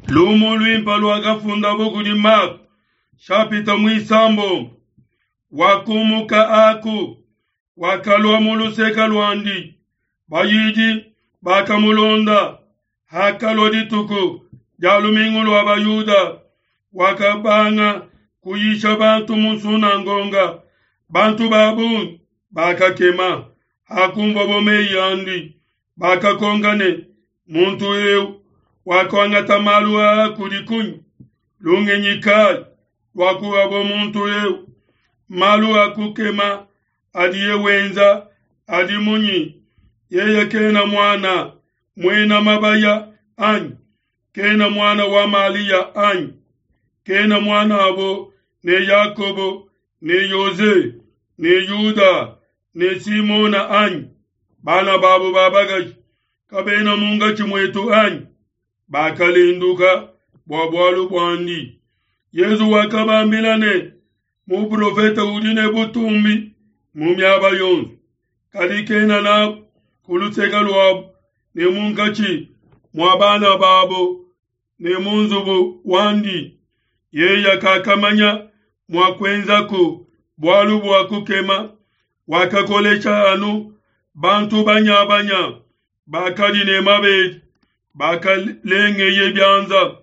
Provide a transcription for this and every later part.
Lumu luimpe luakafundabo kudi Marko, shapita muisambombo. Wakumuka aku, wakalua mu luseke luandi, bayidi bakamulonda. Hakalua dituku dia lumingu lua Bayuda, wakabanga kuyisha bantu mu nsunangonga. Bantu ba bungi bakakema hakumvuabo meyi andi, bakakonka ne, Muntu eu wakuangata malu aa kudi kunyi? Lungenyi kayi luakuhabo muntu eu? Malu a kukema adiye wenza adi munyi? Yeye kena muana muena mabaya, anyi? Kena muana wa Malia, anyi? Kena muan'abo ne Yakobo ne Yose ne Yuda ne Simona, anyi? Bana babo ba bakaji kabena munkatshi muetu, anyi? Bakalenduka bua bualu buandi. Yezu wakabambila ne, Muprofete udi ne butumbi mu miaba yonso, kadi kena nabu ku luseke luabu ne munkatshi mua bana babo ne mu nzubu wandi. Yeye kakamanya mua kuenzaku bualu bua kukema, wakakolesha anu bantu banyabanya bakadi ne mabedi bakalengeye bianza.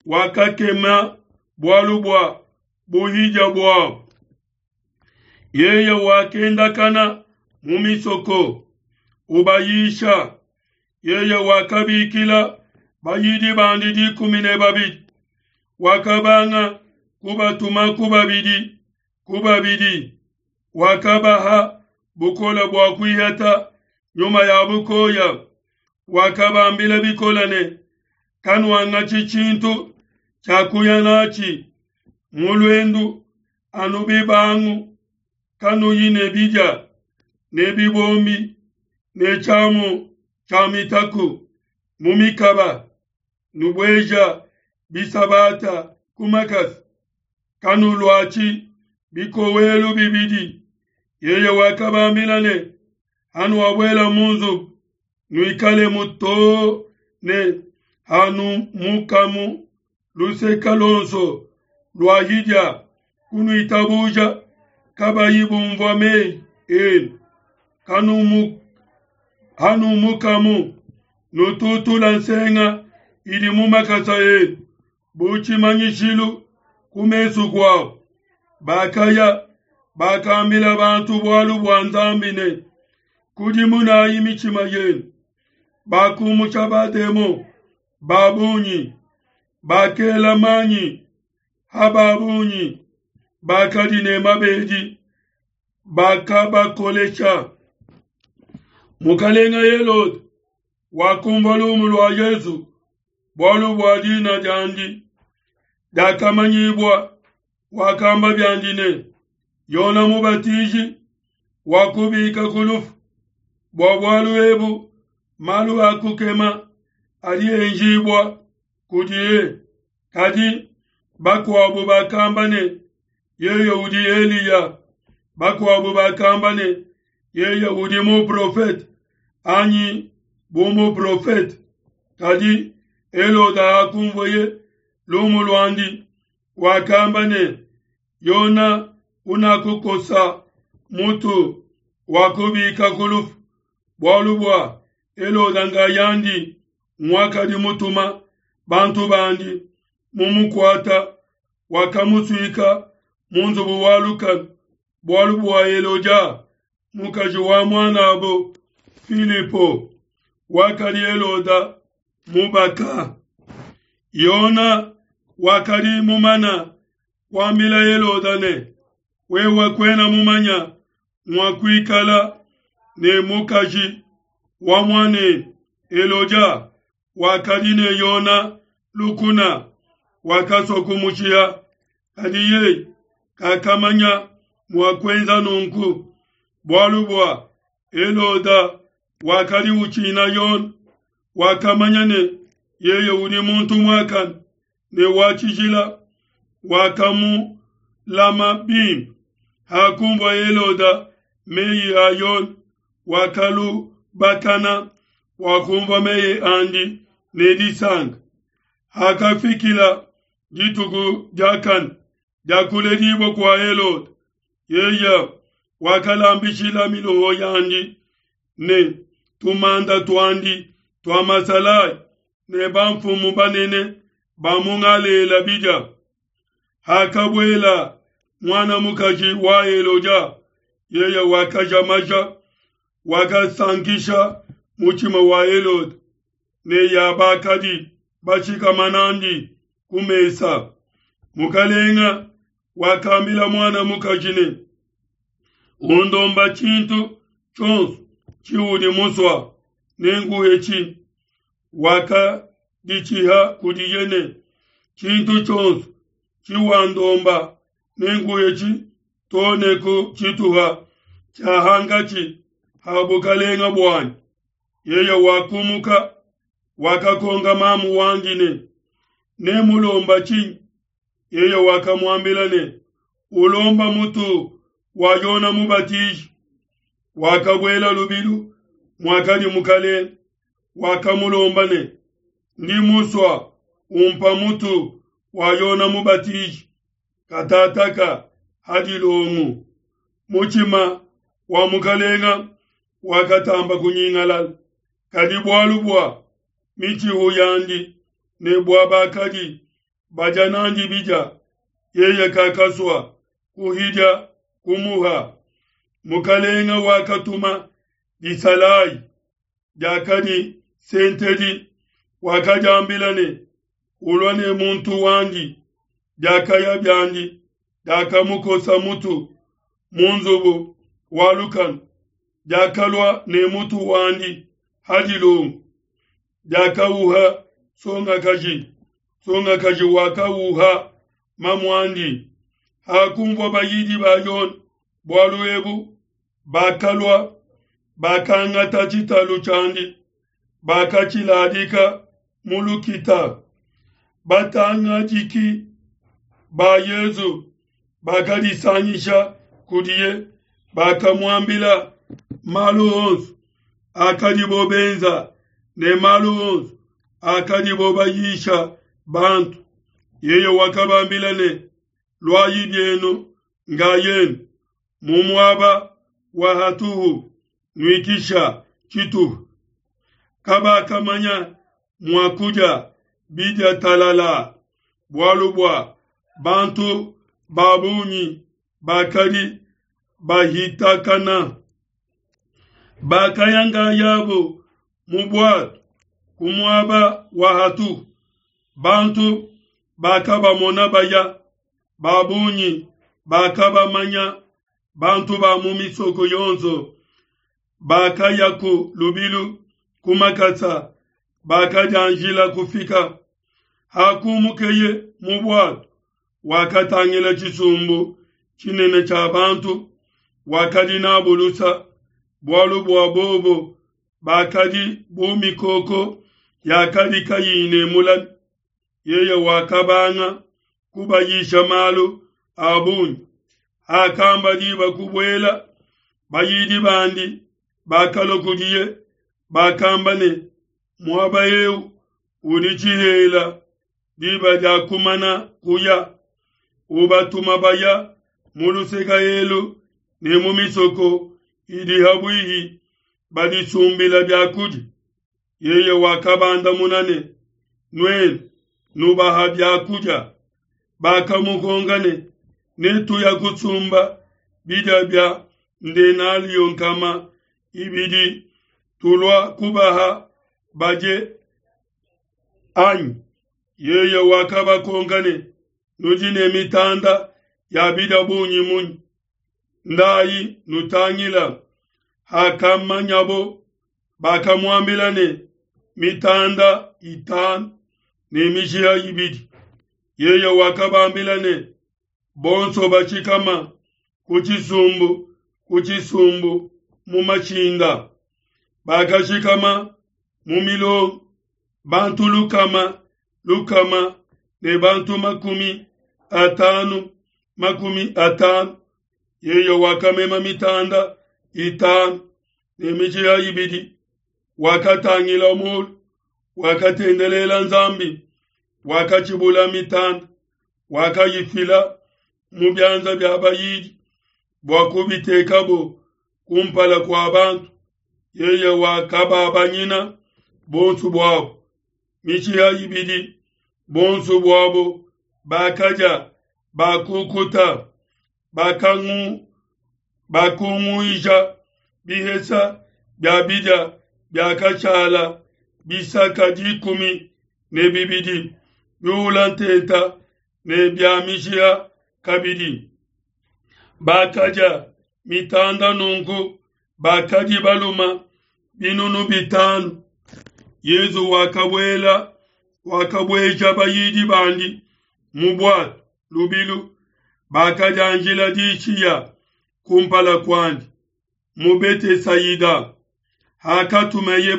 Wakakema bualu bua buhidia buabo. Yeye wakendakana mu misoko ubayisha. Yeye wakabikila bayidi bandi 12, wakabanga kubatuma ku babidi ku babidi, wakabaha bukole bua kuihata nyuma ya bukoya. Wakabambila bikole ne, Kanuangatshi tshintu tshia kuya natshi mu luendu, anu bibangu, kanuyi ne bidia ne bibombi ne tshiamu tshia mitaku mu mikaba, nubueja bisabata ku makasa, kanuluatshi bikowelu bibidi. Yeye wakabambila ne, Hanuabuela mu nzubu, nuikalemu too ne hanumukamu. Luseke luonso luahidia kunuitabuja, kabayi bumvua meyi enu, hanumukamu, nututula nsenga idi mu makasa enu bu tshimanyishilu ku mesu kuabo. Bakaya, bakambila bantu bualu bua Nzambi ne, Kudimunayi mitshima yenu. Bakumusha bademon ba bungi, bakela manyi ha ba bungi bakadi ne mabedi, bakabakolesha. Mukalenga Helode wakumvua lumu lua Yezu, bualu bua dina diandi diakamanyibua, wakamba biandi ne, Yona Mubatiji wakubika ku lufu. Bua bualu ebu malu a kukema adi enjibua kudiye. Kadi bakuabo bakamba ne, Yeye udi Eliya. Bakuabo bakamba ne, Yeye udi muprofete, anyi bu muprofete. Kadi Helode hakumvueye lumu luandi, wakamba ne, Yona unakukosa mutu, wakubika ku lufu. Bualu bua Helode nkayandi nguakadi mutuma bantu bandi mumukuata, wakamusuika mu nzubu wa lukanu bualu bua Helodia, mukaji wa muanabo Filipo, wakadi Heloda mubaka. Yona wakadi mumana kuambila Heloda ne, Wewe kuena mumanya mua kuikala ne mukaji wa muanenu. Helodia wakadi ne Yona lukuna, wakasua kumushiha, kadi yeye kakamanya mua kuenza nunku, bualu bua Heloda wakadi utshina Yona, wakamanya ne yeye udi muntu muakane ne wa tshijila, wakamulama bimpe. Hakunvua Heloda meyi a Yona, wakalubakana, wakunvua meyi andi ne disanka. Hakafikila dituku diakane dia kuledibua kua Helode, yeye wakalambishila miloho yandi ne tumanda tuandi tua masalayi ne bamfumu banene ba mu Galela bidia. Hakabuela muana mukaji wa Helodia, yeye wakaja maja, wakasankisha mutshima wa Helode ne ya bakadi bashikama n'andi ku mesa. Mukalenga wakambila muana mukaji ne, Undomba tshintu tshionso tshiudi musua, nenkuhetshi. Wakaditshiha kudiye ne, Tshintu tshionso tshiwandomba nenkuhetshi to ne ku tshituha tshia hankatshi ha bukalenga buanyi. Yeye wakumuka, wakakonka mamu wandi ne, Nemulomba tshinyi? Yeye wakamuambila ne, Ulomba mutu wa Yona Mubatiji. Wakabuela lubilu muakadi mukalenge, wakamulomba ne, Ndi musua umpa mutu wa Yona Mubatiji katataka ha dilongu. Mutshima wa mukalenga wakatamba kunyingalala, kadi bualu bua mitshihu yandi ne bua bakadi badia n'andi bidia, yeye kakasua kuhidia kumuha. Mukalenga wakatuma disalayi diakadi sentedi, wakadiambila ne, Ulua ne muntu wandi. Diakaya biandi, diakamukosa mutu mu nzubu wa lukanu, diakalua ne mutu wandi ha dilongo, diakauha nsongakaji, nsongakaji wakauha mamuandi. Hakunvua bayidi ba Yone bualu ebu, bakalua, bakangata tshitalu tshiandi, bakatshiladika mu lukita. Batangadiki ba Yezu bakadisangisha kudiye, bakamuambila malu onso akadibo benza ne malu onso akadibo bayisha bantu. Yeye wakabambila ne, Luayi bienu ngayenu mu muaba wa hatuhu nuikisha tshituha. Kabakamanya mua kudia bidia talala, bualu bua bantu ba bungi bakadi bahitakana. Bakaya nkayabo mu buatu ku muaba wa hatuhu. Bantu bakabamona baya, ba bungi bakabamanya. Bantu ba mu misoko yonso bakaya ku lubilu ku makasa, bakadianjila kufika. Hakumukeye mu buatu, wakatangila tshisumbu tshinene tshia bantu, wakadi nabu lusa, bualu bua bobo bakadi bu mikoko yakadi kayiyi ne mulami. Yeye wakabanga kubayisha malu a bungi. Hakamba diba kubuela, bayidi bandi bakalua kudiye, bakamba ne, Muaba eu udi tshihela, diba diakumana kuya. Ubatuma baya mu luseke elu ne mu misoko idi ha buihi, badisumbila bia kudia. Yeye wakabandamuna ne, Nuenu nubaha bia kudia. Bakamukonka ne, Netuya kusumba bidia bia ndenalio 200, tulua kubaha badie anyi? Yeye wakabakonka ne, Nudi ne mitanda ya bidia bungi munyi? Ndayi nutangila. Hakamanyabo, bakamuambila ne, Mitanda 5 ne mishiha 2. Yeye wakabambila ne, Bonso bashikama ku tshisumbu ku tshisumbu mu mashinda. Bakashikama mu milongo, bantu lukama lukama ne bantu 50 50. Yeye wakamema mitanda 5 ne mishiha 2, wakatangila mulu, wakatendelela Nzambi. Wakatshibula mitanda, wakayifila mu bianza bia bayidi bua kubitekabo kumpala kua bantu. Yeye wakababanyina bonso buabo mishiha ibidi, bonso buabo bakadia, bakukuta, bakunguija bihesa bia bidia biakashala bisaka 12 biula ntenta ne bia mishiha kabidi. Bakadia mitanda nunku bakadi baluma 5,000. Yezu wakabueja bayidi bandi mu bwato lubilu, bakadianjila dishiya kumpala kuandi mu Betesayida. Hakatumeye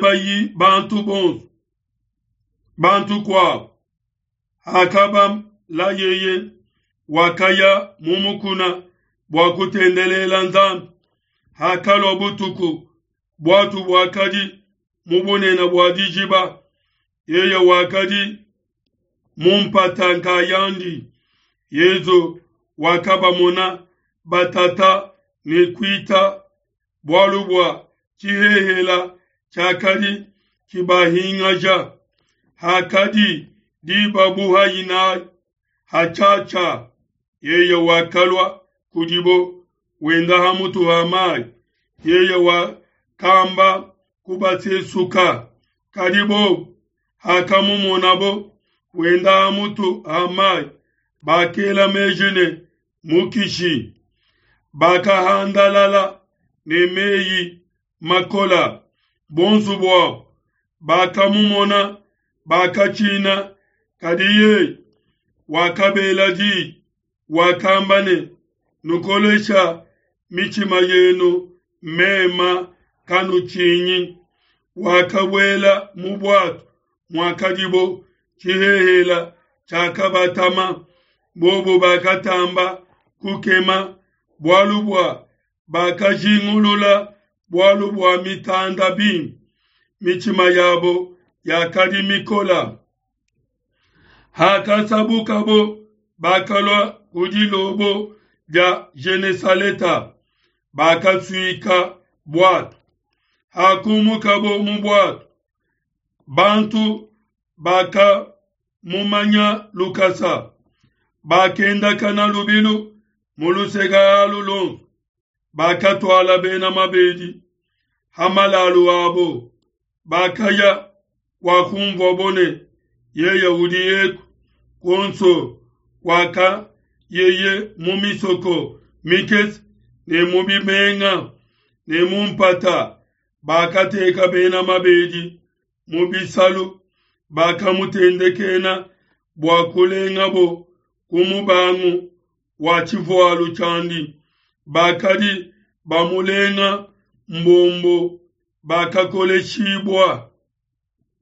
bantu bonso bantu kuabo, hakabalayeye wakaya mu mukuna bua kutendelela Nzambi. Hakalua butuku, bwatu bwakadi mu bunene bua dijiba, yeye wakadi mu mpata nkayandi. Yezu wakabamona batata ne kuita, bualu bua tshihehela tshiakadi tshibahingaja. Hakadi diba buha inayi hatshiatshia, yeye wakalua kudibo wenda ha mutu ha mayi. Yeye wakamba kubasesuka, kadi bobo hakamumonabo wenda ha mutu ha mayi, bakela meji ne mukishi. Bakahandalala ne meyi makola, bonso buabo bakamumona bakatshina. Kadi yeye wakabela diyi, wakamba ne, nukolesha mitshima yenu, mema kanutshinyi. Wakabuela mu bwato muakadibo, tshihehela tshiakabatama. Bobo bakatamba kukema, bualu bua bakajingulula bualu bua mitanda bimpe, mitshima yabo yakadi mikola. Hakasabukabo bakalua ku dilobo dia Genesaleta, bakasuika bwato. Hakumukabo mu bwato, bantu bakamumanya lukasa, bakendakana lubilu mu luseke alu luonso, bakatuala bena mabedi ha malalu abo, bakaya kwakumvuabo ne yeye udi eku kuonso kwaka yeye mu misoko mikese ne mu bimenga ne mu mpata, bakateka bena mabedi mu bisalu, bakamutendekena bua kulengabo ku mubangu wa tshivualu tshiandi. Bakadi bamulenga mbombo bakakoleshibua.